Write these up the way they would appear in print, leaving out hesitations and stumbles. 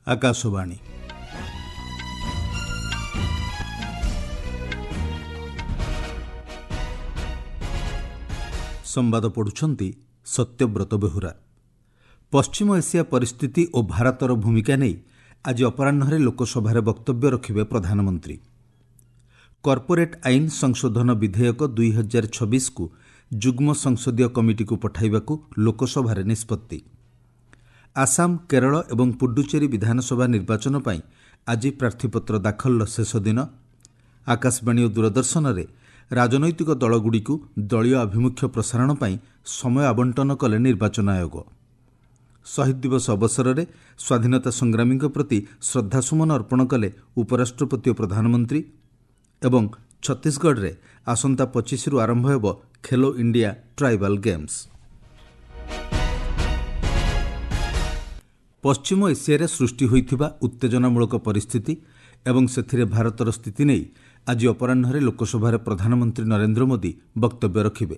ଆକାଶବାଣୀ। ସମ୍ବାଦ ପଢ଼ୁଛନ୍ତି ସତ୍ୟବ୍ରତ ବେହୁରା। ପଶ୍ଚିମ ଏସିଆ ପରିସ୍ଥିତି ଓ ଭାରତର ଭୂମିକା ନେଇ ଆଜି ଅପରାହ୍ନରେ ଲୋକସଭାରେ ବକ୍ତବ୍ୟ ରଖିବେ ପ୍ରଧାନମନ୍ତ୍ରୀ। କର୍ପୋରେଟ୍ ଆଇନ ସଂଶୋଧନ ବିଧେୟକ 2026କୁ ଯୁଗ୍ମ ସଂସଦୀୟ କମିଟିକୁ ପଠାଇବାକୁ ଲୋକସଭାରେ ନିଷ୍ପତ୍ତି। ଆସାମ, କେରଳ ଏବଂ ପୁଡୁଚେରୀ ବିଧାନସଭା ନିର୍ବାଚନ ପାଇଁ ଆଜି ପ୍ରାର୍ଥୀପତ୍ର ଦାଖଲର ଶେଷ ଦିନ। ଆକାଶବାଣୀ ଓ ଦୂରଦର୍ଶନରେ ରାଜନୈତିକ ଦଳଗୁଡ଼ିକୁ ଦଳୀୟ ଆଭିମୁଖ୍ୟ ପ୍ରସାରଣ ପାଇଁ ସମୟ ଆବଣ୍ଟନ କଲେ ନିର୍ବାଚନ ଆୟୋଗ। ଶହୀଦ ଦିବସ ଅବସରରେ ସ୍ୱାଧୀନତା ସଂଗ୍ରାମୀଙ୍କ ପ୍ରତି ଶ୍ରଦ୍ଧାସୁମନ ଅର୍ପଣ କଲେ ଉପରାଷ୍ଟ୍ରପତି ଓ ପ୍ରଧାନମନ୍ତ୍ରୀ। ଏବଂ ଛତିଶଗଡ଼ରେ ଆସନ୍ତା 25ରୁ ଆରମ୍ଭ ହେବ ଖେଲୋ ଇଣ୍ଡିଆ ଟ୍ରାଇବାଲ୍ ଗେମ୍ସ। ପଶ୍ଚିମ ଏସିଆରେ ସୃଷ୍ଟି ହୋଇଥିବା ଉତ୍ତେଜନାମୂଳକ ପରିସ୍ଥିତି ଏବଂ ସେଥିରେ ଭାରତର ସ୍ଥିତି ନେଇ ଆଜି ଅପରାହ୍ନରେ ଲୋକସଭାରେ ପ୍ରଧାନମନ୍ତ୍ରୀ ନରେନ୍ଦ୍ର ମୋଦି ବକ୍ତବ୍ୟ ରଖିବେ।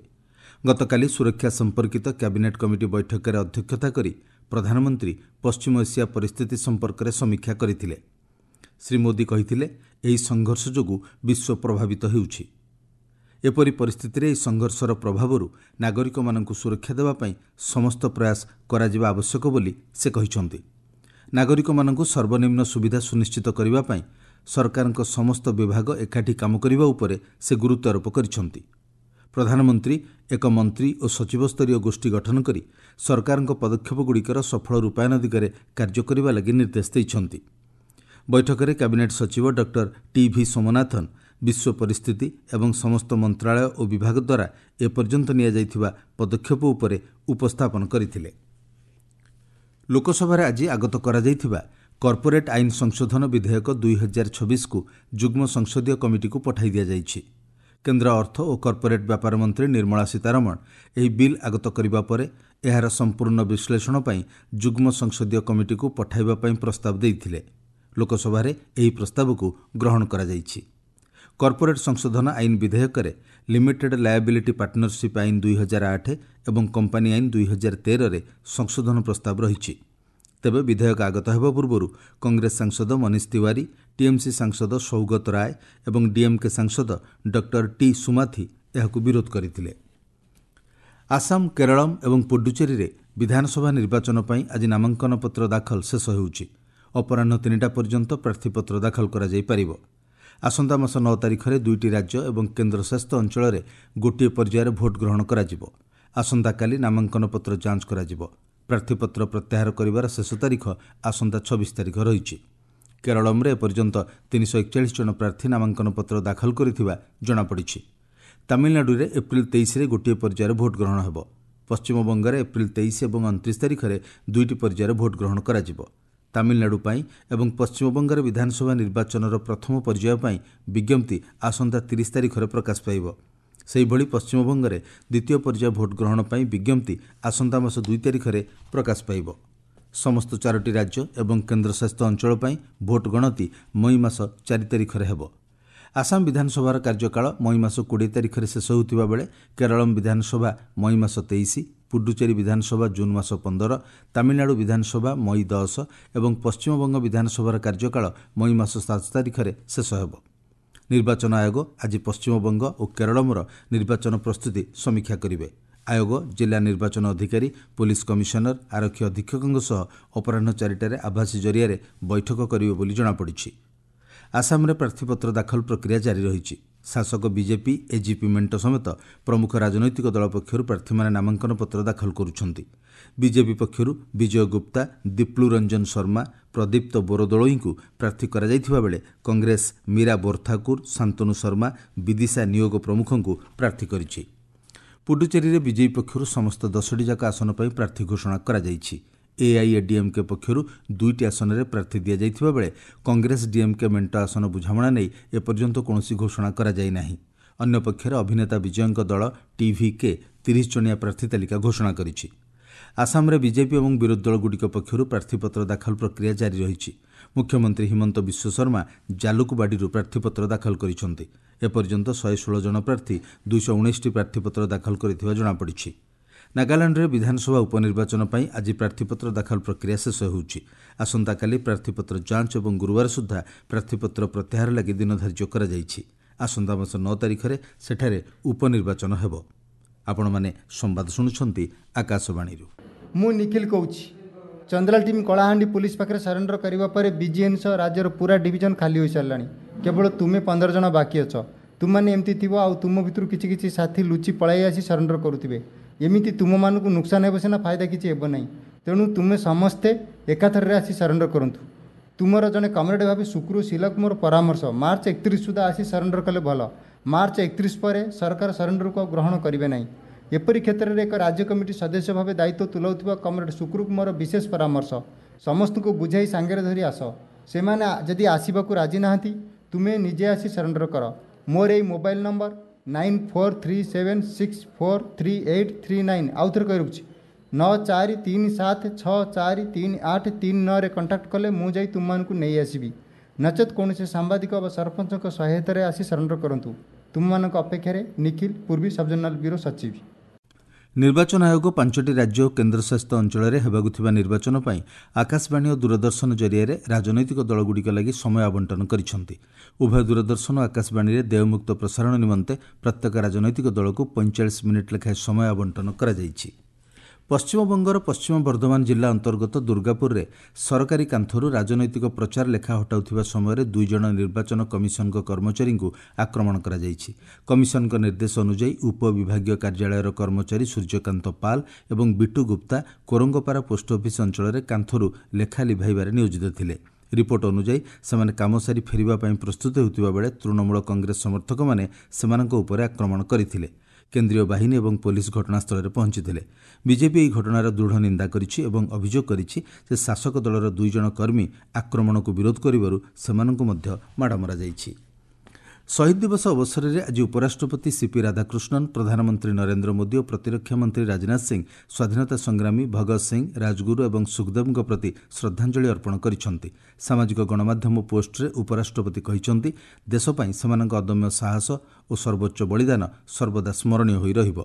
ଗତକାଲି ସୁରକ୍ଷା ସମ୍ପର୍କିତ କ୍ୟାବିନେଟ୍ କମିଟି ବୈଠକରେ ଅଧ୍ୟକ୍ଷତା କରି ପ୍ରଧାନମନ୍ତ୍ରୀ ପଶ୍ଚିମ ଏସିଆ ପରିସ୍ଥିତି ସମ୍ପର୍କରେ ସମୀକ୍ଷା କରିଥିଲେ। ଶ୍ରୀ ମୋଦି କହିଥିଲେ, ଏହି ସଂଘର୍ଷ ଯୋଗୁଁ ବିଶ୍ୱ ପ୍ରଭାବିତ ହେଉଛି। ଏପରି ପରିସ୍ଥିତିରେ ଏହି ସଂଘର୍ଷର ପ୍ରଭାବରୁ ନାଗରିକମାନଙ୍କୁ ସୁରକ୍ଷା ଦେବା ପାଇଁ ସମସ୍ତ ପ୍ରୟାସ କରାଯିବା ଆବଶ୍ୟକ ବୋଲି ସେ କହିଛନ୍ତି। ନାଗରିକମାନଙ୍କୁ ସର୍ବନିମ୍ନ ସୁବିଧା ସୁନିଶ୍ଚିତ କରିବା ପାଇଁ ସରକାରଙ୍କ ସମସ୍ତ ବିଭାଗ ଏକାଠି କାମ କରିବା ଉପରେ ସେ ଗୁରୁତ୍ୱାରୋପ କରିଛନ୍ତି। ପ୍ରଧାନମନ୍ତ୍ରୀ ଏକ ମନ୍ତ୍ରୀ ଓ ସଚିବସ୍ତରୀୟ ଗୋଷ୍ଠୀ ଗଠନ କରି ସରକାରଙ୍କ ପଦକ୍ଷେପଗୁଡ଼ିକର ସଫଳ ରୂପାୟନ ଦିଗରେ କାର୍ଯ୍ୟ କରିବା ଲାଗି ନିର୍ଦ୍ଦେଶ ଦେଇଛନ୍ତି। ବୈଠକରେ କ୍ୟାବିନେଟ୍ ସଚିବ ଡକ୍ଟର ଟି ଭି ସୋମନାଥନ ବିଶ୍ୱ ପରିସ୍ଥିତି ଏବଂ ସମସ୍ତ ମନ୍ତ୍ରାଳୟ ଓ ବିଭାଗ ଦ୍ୱାରା ଏପର୍ଯ୍ୟନ୍ତ ନିଆଯାଇଥିବା ପଦକ୍ଷେପ ଉପରେ ଉପସ୍ଥାପନ କରିଥିଲେ। ଲୋକସଭାରେ ଆଜି ଆଗତ କରାଯାଇଥିବା କର୍ପୋରେଟ୍ ଆଇନ ସଂଶୋଧନ ବିଧେୟକ 2026କୁ ଯୁଗ୍ମ ସଂସଦୀୟ କମିଟିକୁ ପଠାଇ ଦିଆଯାଇଛି। କେନ୍ଦ୍ର ଅର୍ଥ ଓ କର୍ପୋରେଟ୍ ବ୍ୟାପାର ମନ୍ତ୍ରୀ ନିର୍ମଳା ସୀତାରମଣ ଏହି ବିଲ୍ ଆଗତ କରିବା ପରେ ଏହାର ସମ୍ପୂର୍ଣ୍ଣ ବିଶ୍ଳେଷଣ ପାଇଁ ଯୁଗ୍ମ ସଂସଦୀୟ କମିଟିକୁ ପଠାଇବା ପାଇଁ ପ୍ରସ୍ତାବ ଦେଇଥିଲେ। ଲୋକସଭାରେ ଏହି ପ୍ରସ୍ତାବକୁ ଗ୍ରହଣ କରାଯାଇଛି। କର୍ପୋରେଟ୍ ସଂଶୋଧନ ଆଇନ ବିଧେୟକରେ ଲିମିଟେଡ୍ ଲାୟାବିଲିଟି ପାର୍ଟନରସିପ୍ ଆଇନ 2008 ଏବଂ କମ୍ପାନୀ ଆଇନ 2013ରେ ସଂଶୋଧନ ପ୍ରସ୍ତାବ ରହିଛି। ତେବେ ବିଧେୟକ ଆଗତ ହେବା ପୂର୍ବରୁ କଂଗ୍ରେସ ସାଂସଦ ମନୀଷ ତିୱାରୀ, ଟିଏମ୍ସି ସାଂସଦ ସୌଗତ ରାୟ ଏବଂ ଡିଏମ୍କେ ସାଂସଦ ଡକ୍ଟର ଟି ସୁମାଥି ଏହାକୁ ବିରୋଧ କରିଥିଲେ। ଆସାମ, କେରଳମ୍ ଏବଂ ପୁଡୁଚେରୀରେ ବିଧାନସଭା ନିର୍ବାଚନ ପାଇଁ ଆଜି ନାମାଙ୍କନପତ୍ର ଦାଖଲ ଶେଷ ହେଉଛି। ଅପରାହ୍ନ 3ଟା ପର୍ଯ୍ୟନ୍ତ ପ୍ରାର୍ଥୀପତ୍ର ଦାଖଲ କରାଯାଇପାରିବ। ଆସନ୍ତା ମାସ 9 ତାରିଖରେ ଦୁଇଟି ରାଜ୍ୟ ଏବଂ କେନ୍ଦ୍ରଶାସିତ ଅଞ୍ଚଳରେ ଗୋଟିଏ ପର୍ଯ୍ୟାୟରେ ଭୋଟ୍ ଗ୍ରହଣ କରାଯିବ। ଆସନ୍ତାକାଲି ନାମାଙ୍କନପତ୍ର ଯାଞ୍ଚ କରାଯିବ। ପ୍ରାର୍ଥୀପତ୍ର ପ୍ରତ୍ୟାହାର କରିବାର ଶେଷ ତାରିଖ ଆସନ୍ତା 26 ତାରିଖ ରହିଛି। କେରଳମ୍ରେ ଏପର୍ଯ୍ୟନ୍ତ 341 ଜଣ ପ୍ରାର୍ଥୀ ନାମାଙ୍କନପତ୍ର ଦାଖଲ କରିଥିବା ଜଣାପଡ଼ିଛି। ତାମିଲନାଡୁରେ ଏପ୍ରିଲ 23ରେ ଗୋଟିଏ ପର୍ଯ୍ୟାୟରେ ଭୋଟ୍ ଗ୍ରହଣ ହେବ। ପଶ୍ଚିମବଙ୍ଗରେ ଏପ୍ରିଲ 23 ଏବଂ 29 ତାରିଖରେ ଦୁଇଟି ପର୍ଯ୍ୟାୟରେ ଭୋଟ୍ ଗ୍ରହଣ କରାଯିବ। ତାମିଲନାଡୁ ପାଇଁ ଏବଂ ପଶ୍ଚିମବଙ୍ଗରେ ବିଧାନସଭା ନିର୍ବାଚନର ପ୍ରଥମ ପର୍ଯ୍ୟାୟ ପାଇଁ ବିଜ୍ଞପ୍ତି ଆସନ୍ତା 30 ତାରିଖରେ ପ୍ରକାଶ ପାଇବ। ସେହିଭଳି ପଶ୍ଚିମବଙ୍ଗରେ ଦ୍ୱିତୀୟ ପର୍ଯ୍ୟାୟ ଭୋଟ୍ ଗ୍ରହଣ ପାଇଁ ବିଜ୍ଞପ୍ତି ଆସନ୍ତା ମାସ 2 ତାରିଖରେ ପ୍ରକାଶ ପାଇବ। ସମସ୍ତ 4ଟି ରାଜ୍ୟ ଏବଂ କେନ୍ଦ୍ରଶାସିତ ଅଞ୍ଚଳ ପାଇଁ ଭୋଟ୍ ଗଣତି ମଇ ମାସ 4 ତାରିଖରେ ହେବ। ଆସାମ ବିଧାନସଭାର କାର୍ଯ୍ୟକାଳ ମଇ ମାସ 20 ତାରିଖରେ ଶେଷ ହେଉଥିବା ବେଳେ କେରଳମ୍ ବିଧାନସଭା ମଇ ମାସ 23, ପୁଡୁଚେରୀ ବିଧାନସଭା ଜୁନ୍ ମାସ 15, ତାମିଲନାଡୁ ବିଧାନସଭା ମଇ 10 ଏବଂ ପଶ୍ଚିମବଙ୍ଗ ବିଧାନସଭାର କାର୍ଯ୍ୟକାଳ ମଇ ମାସ 7 ତାରିଖରେ ଶେଷ ହେବ। ନିର୍ବାଚନ ଆୟୋଗ ଆଜି ପଶ୍ଚିମବଙ୍ଗ ଓ କେରଳମର ନିର୍ବାଚନ ପ୍ରସ୍ତୁତି ସମୀକ୍ଷା କରିବେ। ଆୟୋଗ ଜିଲ୍ଲା ନିର୍ବାଚନ ଅଧିକାରୀ, ପୋଲିସ କମିଶନର, ଆରକ୍ଷୀ ଅଧୀକ୍ଷକଙ୍କ ସହ ଅପରାହ୍ନ 4ଟାରେ ଆଭାସୀ ଜରିଆରେ ବୈଠକ କରିବେ ବୋଲି ଜଣାପଡ଼ିଛି। ଆସାମରେ ପ୍ରାର୍ଥୀପତ୍ର ଦାଖଲ ପ୍ରକ୍ରିୟା ଜାରି ରହିଛି। ଶାସକ ବିଜେପି, ଏଜିପି ମେଣ୍ଟ ସମେତ ପ୍ରମୁଖ ରାଜନୈତିକ ଦଳ ପକ୍ଷରୁ ପ୍ରାର୍ଥୀମାନେ ନାମାଙ୍କନପତ୍ର ଦାଖଲ କରୁଛନ୍ତି। ବିଜେପି ପକ୍ଷରୁ ବିଜୟ ଗୁପ୍ତା, ଦିପ୍ଲୁ ରଞ୍ଜନ ଶର୍ମା, ପ୍ରଦୀପ୍ତ ବୋରୋଦୋଳୋଇଙ୍କୁ ପ୍ରାର୍ଥୀ କରାଯାଇଥିବା ବେଳେ କଂଗ୍ରେସ ମୀରା ବୋରଠାକୁର, ଶାନ୍ତନୁ ଶର୍ମା, ବିଦିଶା ନିୟୋଗ ପ୍ରମୁଖଙ୍କୁ ପ୍ରାର୍ଥୀ କରିଛି। ପୁଡୁଚେରୀରେ ବିଜେପି ପକ୍ଷରୁ ସମସ୍ତ 10ଟି ଯାକ ଆସନ ପାଇଁ ପ୍ରାର୍ଥୀ ଘୋଷଣା କରାଯାଇଛି। ଏଆଇଏଡିଏମ୍କେ ପକ୍ଷରୁ 2ଟି ଆସନରେ ପ୍ରାର୍ଥୀ ଦିଆଯାଇଥିବା ବେଳେ କଂଗ୍ରେସ ଡିଏମ୍କେ ମେଣ୍ଟ ଆସନ ବୁଝାମଣା ନେଇ ଏପର୍ଯ୍ୟନ୍ତ କୌଣସି ଘୋଷଣା କରାଯାଇ ନାହିଁ। ଅନ୍ୟପକ୍ଷରେ ଅଭିନେତା ବିଜୟଙ୍କ ଦଳ ଟିଭିକେ 30 ଜଣିଆ ପ୍ରାର୍ଥୀ ତାଲିକା ଘୋଷଣା କରିଛି। ଆସାମରେ ବିଜେପି ଏବଂ ବିରୋଧୀ ଦଳଗୁଡ଼ିକ ପକ୍ଷରୁ ପ୍ରାର୍ଥୀପତ୍ର ଦାଖଲ ପ୍ରକ୍ରିୟା ଜାରି ରହିଛି। ମୁଖ୍ୟମନ୍ତ୍ରୀ ହିମନ୍ତ ବିଶ୍ୱଶର୍ମା ଜାଲୁକବାଡ଼ିରୁ ପ୍ରାର୍ଥୀପତ୍ର ଦାଖଲ କରିଛନ୍ତି। ଏପର୍ଯ୍ୟନ୍ତ 116 ଜଣ ପ୍ରାର୍ଥୀ 219ଟି ପ୍ରାର୍ଥୀପତ୍ର ଦାଖଲ କରିଥିବା ଜଣାପଡ଼ିଛି। ନାଗାଲାଣ୍ଡରେ ବିଧାନସଭା ଉପନିର୍ବାଚନ ପାଇଁ ଆଜି ପ୍ରାର୍ଥୀପତ୍ର ଦାଖଲ ପ୍ରକ୍ରିୟା ଶେଷ ହେଉଛି। ଆସନ୍ତାକାଲି ପ୍ରାର୍ଥୀପତ୍ର ଯାଞ୍ଚ ଏବଂ ଗୁରୁବାର ସୁଦ୍ଧା ପ୍ରାର୍ଥୀପତ୍ର ପ୍ରତ୍ୟାହାର ଲାଗି ଦିନ ଧାର୍ଯ୍ୟ କରାଯାଇଛି। ଆସନ୍ତା ମାସ 9 ତାରିଖରେ ସେଠାରେ ଉପନିର୍ବାଚନ ହେବ। ଆପଣମାନେ ସମ୍ବାଦ ଶୁଣୁଛନ୍ତି ଆକାଶବାଣୀରୁ। ମୁଁ ନିଖିଲ କହୁଛି। ଚନ୍ଦ୍ରାଲ ଟିମ୍ କଳାହାଣ୍ଡି ପୋଲିସ ପାଖରେ ସରେଣ୍ଡର କରିବା ପରେ ବିଜିଏନ୍ ସହ ରାଜ୍ୟର ପୁରା ଡିଭିଜନ ଖାଲି ହୋଇସାରିଲାଣି। କେବଳ ତୁମେ 15 ଜଣ ବାକି ଅଛ। ତୁମମାନେ ଏମିତି ଥିବ ଆଉ ତୁମ ଭିତରୁ କିଛି କିଛି ସାଥୀ ଲୁଚି ପଳାଇ ଆସି ସରେଣ୍ଡର କରୁଥିବେ। ଏମିତି ତୁମମାନଙ୍କୁ ନୁକସାନ ହେବ ସିନା, ଫାଇଦା କିଛି ହେବ ନାହିଁ। ତେଣୁ ତୁମେ ସମସ୍ତେ ଏକାଥରରେ ଆସି ସରେଣ୍ଡର କରନ୍ତୁ। ତୁମର ଜଣେ କମ୍ରେଡ଼ ଭାବେ ଶୁକ୍ରୁ ଶିଲାକୁ ମୋର ପରାମର୍ଶ, ମାର୍ଚ୍ଚ 31 ସୁଦ୍ଧା ଆସି ସରେଣ୍ଡର କଲେ ଭଲ। ମାର୍ଚ୍ଚ 31 ପରେ ସରକାର ସରେଣ୍ଡରକୁ ଆଉ ଗ୍ରହଣ କରିବେ ନାହିଁ। ଏପରି କ୍ଷେତ୍ରରେ ଏକ ରାଜ୍ୟ କମିଟି ସଦସ୍ୟ ଭାବେ ଦାୟିତ୍ୱ ତୁଲାଉଥିବା କମ୍ରେଡ଼ ଶୁକ୍ରୁକୁ ମୋର ବିଶେଷ ପରାମର୍ଶ, ସମସ୍ତଙ୍କୁ ବୁଝାଇ ସାଙ୍ଗରେ ଧରି ଆସ। ସେମାନେ ଯଦି ଆସିବାକୁ ରାଜି ନାହାନ୍ତି, ତୁମେ ନିଜେ ଆସି ସରେଣ୍ଡର କର। ମୋର ଏଇ ମୋବାଇଲ ନମ୍ବର 9437643839, ଆଉ ଥରେ କହି ରଖୁଛି, 9437643839ରେ କଣ୍ଟାକ୍ଟ କଲେ ମୁଁ ଯାଇ ତୁମମାନଙ୍କୁ ନେଇ ଆସିବି। ନଚେତ୍ କୌଣସି ସାମ୍ବାଦିକ ବା ସରପଞ୍ଚଙ୍କ ସହାୟତାରେ ଆସି ସରେଣ୍ଡର କରନ୍ତୁ। ତୁମମାନଙ୍କ ଅପେକ୍ଷାରେ ନିଖିଲ, ପୂର୍ବୀ ସବଜୋନାଲ ବ୍ୟୁରୋ ସଚିବ। ନିର୍ବାଚନ ଆୟୋଗ 5ଟି ରାଜ୍ୟ ଓ କେନ୍ଦ୍ରଶାସିତ ଅଞ୍ଚଳରେ ହେବାକୁ ଥିବା ନିର୍ବାଚନ ପାଇଁ ଆକାଶବାଣୀ ଓ ଦୂରଦର୍ଶନ ଜରିଆରେ ରାଜନୈତିକ ଦଳଗୁଡ଼ିକ ଲାଗି ସମୟ ଆବଣ୍ଟନ କରିଛନ୍ତି। ଉଭୟ ଦୂରଦର୍ଶନ ଓ ଆକାଶବାଣୀରେ ଦେୟମୁକ୍ତ ପ୍ରସାରଣ ନିମନ୍ତେ ପ୍ରତ୍ୟେକ ରାଜନୈତିକ ଦଳକୁ 45 ମିନିଟ୍ ଲେଖାଏଁ ସମୟ ଆବଣ୍ଟନ କରାଯାଇଛି। ପଶ୍ଚିମବଙ୍ଗର ପଶ୍ଚିମ ବର୍ଦ୍ଧମାନ ଜିଲ୍ଲା ଅନ୍ତର୍ଗତ ଦୁର୍ଗାପୁରରେ ସରକାରୀ କାନ୍ଥରୁ ରାଜନୈତିକ ପ୍ରଚାର ଲେଖା ହଟାଉଥିବା ସମୟରେ 2 ଜଣ ନିର୍ବାଚନ କମିଶନଙ୍କ କର୍ମଚାରୀଙ୍କୁ ଆକ୍ରମଣ କରାଯାଇଛି। କମିଶନଙ୍କ ନିର୍ଦ୍ଦେଶ ଅନୁଯାୟୀ ଉପବିଭାଗୀୟ କାର୍ଯ୍ୟାଳୟର କର୍ମଚାରୀ ସୂର୍ଯ୍ୟକାନ୍ତ ପାଲ ଏବଂ ବିଟୁ ଗୁପ୍ତା କୋରଙ୍ଗପାରା ପୋଷ୍ଟ ଅଫିସ୍ ଅଞ୍ଚଳରେ କାନ୍ଥରୁ ଲେଖା ଲିଭାଇବାରେ ନିୟୋଜିତ ଥିଲେ। ରିପୋର୍ଟ ଅନୁଯାୟୀ ସେମାନେ କାମ ସାରି ଫେରିବା ପାଇଁ ପ୍ରସ୍ତୁତ ହେଉଥିବା ବେଳେ ତୃଣମୂଳ କଂଗ୍ରେସ ସମର୍ଥକମାନେ ସେମାନଙ୍କ ଉପରେ ଆକ୍ରମଣ କରିଥିଲେ। କେନ୍ଦ୍ରୀୟ ବାହିନୀ ଏବଂ ପୋଲିସ ଘଟଣାସ୍ଥଳରେ ପହଞ୍ଚିଥିଲେ। ବିଜେପି ଏହି ଘଟଣାର ଦୃଢ଼ ନିନ୍ଦା କରିଛି ଏବଂ ଅଭିଯୋଗ କରିଛି ଯେ ଶାସକ ଦଳର 2 ଜଣ କର୍ମୀ ଆକ୍ରମଣକୁ ବିରୋଧ କରିବାରୁ ସେମାନଙ୍କୁ ମଧ୍ୟ ମାଡ଼ ମରାଯାଇଛି। ଶହୀଦ ଦିବସ ଅବସରରେ ଆଜି ଉପରାଷ୍ଟ୍ରପତି ସିପି ରାଧାକୃଷ୍ଣନ, ପ୍ରଧାନମନ୍ତ୍ରୀ ନରେନ୍ଦ୍ର ମୋଦି ଓ ପ୍ରତିରକ୍ଷା ମନ୍ତ୍ରୀ ରାଜନାଥ ସିଂ ସ୍ୱାଧୀନତା ସଂଗ୍ରାମୀ ଭଗତ ସିଂ, ରାଜଗୁରୁ ଏବଂ ସୁଖଦେବଙ୍କ ପ୍ରତି ଶ୍ରଦ୍ଧାଞ୍ଜଳି ଅର୍ପଣ କରିଛନ୍ତି। ସାମାଜିକ ଗଣମାଧ୍ୟମ ପୋଷ୍ଟରେ ଉପରାଷ୍ଟ୍ରପତି କହିଛନ୍ତି, ଦେଶ ପାଇଁ ସେମାନଙ୍କ ଅଦମ୍ୟ ସାହସ ଓ ସର୍ବୋଚ୍ଚ ବଳିଦାନ ସର୍ବଦା ସ୍ମରଣୀୟ ହୋଇ ରହିବ।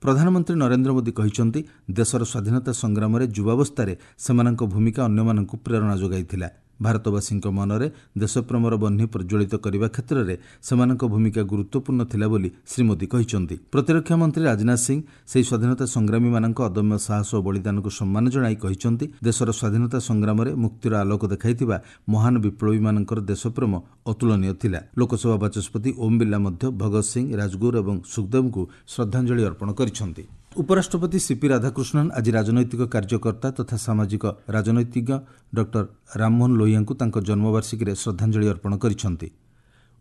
ପ୍ରଧାନମନ୍ତ୍ରୀ ନରେନ୍ଦ୍ର ମୋଦି କହିଛନ୍ତି, ଦେଶର ସ୍ୱାଧୀନତା ସଂଗ୍ରାମରେ ଯୁବାବସ୍ଥାରେ ସେମାନଙ୍କ ଭୂମିକା ଅନ୍ୟମାନଙ୍କୁ ପ୍ରେରଣା ଯୋଗାଇଥିଲା। ଭାରତବାସୀଙ୍କ ମନରେ ଦେଶପ୍ରେମର ବହ୍ନି ପ୍ରଜ୍ୱଳିତ କରିବା କ୍ଷେତ୍ରରେ ସେମାନଙ୍କ ଭୂମିକା ଗୁରୁତ୍ୱପୂର୍ଣ୍ଣ ଥିଲା ବୋଲି ଶ୍ରୀ ମୋଦି କହିଛନ୍ତି। ପ୍ରତିରକ୍ଷା ମନ୍ତ୍ରୀ ରାଜନାଥ ସିଂ ସେହି ସ୍ୱାଧୀନତା ସଂଗ୍ରାମୀମାନଙ୍କ ଅଦମ୍ୟ ସାହସ ଓ ବଳିଦାନକୁ ସମ୍ମାନ ଜଣାଇ କହିଛନ୍ତି, ଦେଶର ସ୍ୱାଧୀନତା ସଂଗ୍ରାମରେ ମୁକ୍ତିର ଆଲୋକ ଦେଖାଇଥିବା ମହାନ ବିପ୍ଳବୀମାନଙ୍କର ଦେଶପ୍ରେମ ଅତୁଳନୀୟ ଥିଲା। ଲୋକସଭା ବାଚସ୍ପତି ଓମ୍ ବିର୍ଲା ମଧ୍ୟ ଭଗତ ସିଂ, ରାଜଗୁରୁ ଏବଂ ସୁଖଦେବଙ୍କୁ ଶ୍ରଦ୍ଧାଞ୍ଜଳି ଅର୍ପଣ କରିଛନ୍ତି। ଉପରାଷ୍ଟ୍ରପତି ସିପି ରାଧାକୃଷ୍ଣନ ଆଜି ରାଜନୈତିକ କାର୍ଯ୍ୟକର୍ତ୍ତା ତଥା ସାମାଜିକ ରାଜନୈତିଜ୍ଞ ଡକ୍ଟର ରାମମୋହନ ଲୋହିଆଙ୍କୁ ତାଙ୍କ ଜନ୍ମବାର୍ଷିକୀରେ ଶ୍ରଦ୍ଧାଞ୍ଜଳି ଅର୍ପଣ କରିଛନ୍ତି।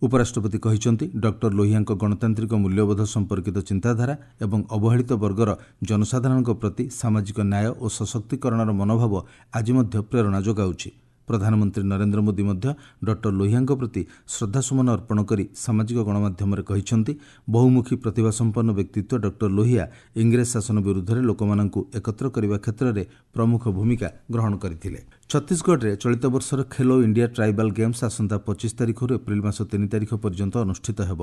ଉପରାଷ୍ଟ୍ରପତି କହିଛନ୍ତି, ଡକ୍ଟର ଲୋହିଆଙ୍କ ଗଣତାନ୍ତ୍ରିକ ମୂଲ୍ୟବୋଧ ସମ୍ପର୍କିତ ଚିନ୍ତାଧାରା ଏବଂ ଅବହେଳିତ ବର୍ଗର ଜନସାଧାରଣଙ୍କ ପ୍ରତି ସାମାଜିକ ନ୍ୟାୟ ଓ ସଶକ୍ତିକରଣର ମନୋଭାବ ଆଜି ମଧ୍ୟ ପ୍ରେରଣା ଯୋଗାଉଛି। ପ୍ରଧାନମନ୍ତ୍ରୀ ନରେନ୍ଦ୍ର ମୋଦି ମଧ୍ୟ ଡକ୍ଟର ଲୋହିଆଙ୍କ ପ୍ରତି ଶ୍ରଦ୍ଧାସୁମନ ଅର୍ପଣ କରି ସାମାଜିକ ଗଣମାଧ୍ୟମରେ କହିଛନ୍ତି, ବହୁମୁଖୀ ପ୍ରତିଭାସମ୍ପନ୍ନ ବ୍ୟକ୍ତିତ୍ୱ ଡକ୍ଟର ଲୋହିଆ ଇଂରେଜ ଶାସନ ବିରୁଦ୍ଧରେ ଲୋକମାନଙ୍କୁ ଏକତ୍ର କରିବା କ୍ଷେତ୍ରରେ ପ୍ରମୁଖ ଭୂମିକା ଗ୍ରହଣ କରିଥିଲେ। ଛତିଶଗଡ଼ରେ ଚଳିତ ବର୍ଷର ଖେଲୋ ଇଣ୍ଡିଆ ଟ୍ରାଇବାଲ୍ ଗେମ୍ସ ଆସନ୍ତା 25 ତାରିଖରୁ ଏପ୍ରିଲ ମାସ 3 ତାରିଖ ପର୍ଯ୍ୟନ୍ତ ଅନୁଷ୍ଠିତ ହେବ।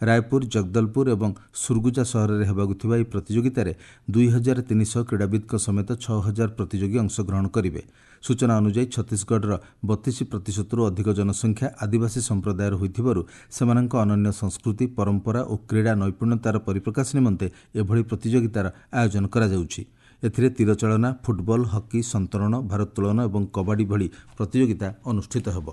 ରାୟପୁର, ଜଗଦଲପୁର ଏବଂ ସୁରଗୁଜା ସହରରେ ହେବାକୁ ଥିବା ଏହି ପ୍ରତିଯୋଗିତାରେ 2300 କ୍ରୀଡ଼ାବିତ୍ଙ୍କ ସମେତ 6000 ପ୍ରତିଯୋଗୀ ଅଂଶଗ୍ରହଣ କରିବେ। ସୂଚନା ଅନୁଯାୟୀ ଛତିଶଗଡ଼ର 32%ରୁ ଅଧିକ ଜନସଂଖ୍ୟା ଆଦିବାସୀ ସମ୍ପ୍ରଦାୟର ହୋଇଥିବାରୁ ସେମାନଙ୍କ ଅନନ୍ୟ ସଂସ୍କୃତି, ପରମ୍ପରା ଓ କ୍ରୀଡ଼ା ନୈପୁଣ୍ୟତାର ପରିପ୍ରକାଶ ନିମନ୍ତେ ଏଭଳି ପ୍ରତିଯୋଗିତାର ଆୟୋଜନ କରାଯାଉଛି। ଏଥିରେ ତୀରଚାଳନା, ଫୁଟବଲ, ହକି, ସନ୍ତରଣ, ଭାରୋତ୍ତୋଳନ ଏବଂ କବାଡ଼ି ଭଳି ପ୍ରତିଯୋଗିତା ଅନୁଷ୍ଠିତ ହେବ।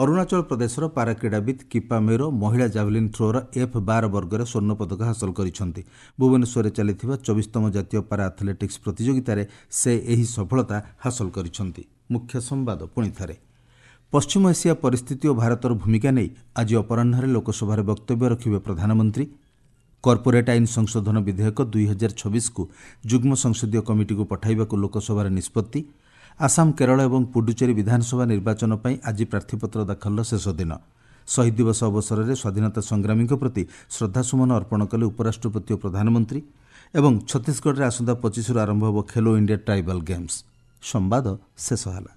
ଅରୁଣାଚଳ ପ୍ରଦେଶର ପାରା କ୍ରୀଡ଼ାବିତ୍ କିପା ମେରୋ ମହିଳା ଜାଭେଲିନ୍ ଥ୍ରୋର F12 ବର୍ଗରେ ସ୍ୱର୍ଣ୍ଣ ପଦକ ହାସଲ କରିଛନ୍ତି। ଭୁବନେଶ୍ୱରରେ ଚାଲିଥିବା 24ତମ ଜାତୀୟ ପାରା ଆଥଲେଟିକ୍ସ ପ୍ରତିଯୋଗିତାରେ ସେ ଏହି ସଫଳତା ହାସଲ କରିଛନ୍ତି। ମୁଖ୍ୟ ସମ୍ବାଦ ପୁଣି ଥରେ। ପଶ୍ଚିମ ଏସିଆ ପରିସ୍ଥିତି ଓ ଭାରତର ଭୂମିକା ନେଇ ଆଜି ଅପରାହ୍ନରେ ଲୋକସଭାରେ ବକ୍ତବ୍ୟ ରଖିବେ ପ୍ରଧାନମନ୍ତ୍ରୀ। କର୍ପୋରେଟ୍ ଆଇନ ସଂଶୋଧନ ବିଧେୟକ 2026କୁ ଯୁଗ୍ମ ସଂସଦୀୟ କମିଟିକୁ ପଠାଇବାକୁ ଲୋକସଭାରେ ନିଷ୍ପତ୍ତି। ଆସାମ, କେରଳ ଏବଂ ପୁଡୁଚେରୀ ବିଧାନସଭା ନିର୍ବାଚନ ପାଇଁ ଆଜି ପ୍ରାର୍ଥୀପତ୍ର ଦାଖଲର ଶେଷ ଦିନ। ଶହୀଦ ଦିବସ ଅବସରରେ ସ୍ୱାଧୀନତା ସଂଗ୍ରାମୀଙ୍କ ପ୍ରତି ଶ୍ରଦ୍ଧାସୁମନ ଅର୍ପଣ କଲେ ଉପରାଷ୍ଟ୍ରପତି ଓ ପ୍ରଧାନମନ୍ତ୍ରୀ। ଏବଂ ଛତିଶଗଡ଼ରେ ଆସନ୍ତା 25ରୁ ଆରମ୍ଭ ହେବ ଖେଲୋ ଇଣ୍ଡିଆ ଟ୍ରାଇବାଲ୍ ଗେମ୍ସ। ସମ୍ବାଦ ଶେଷ ହେଲା।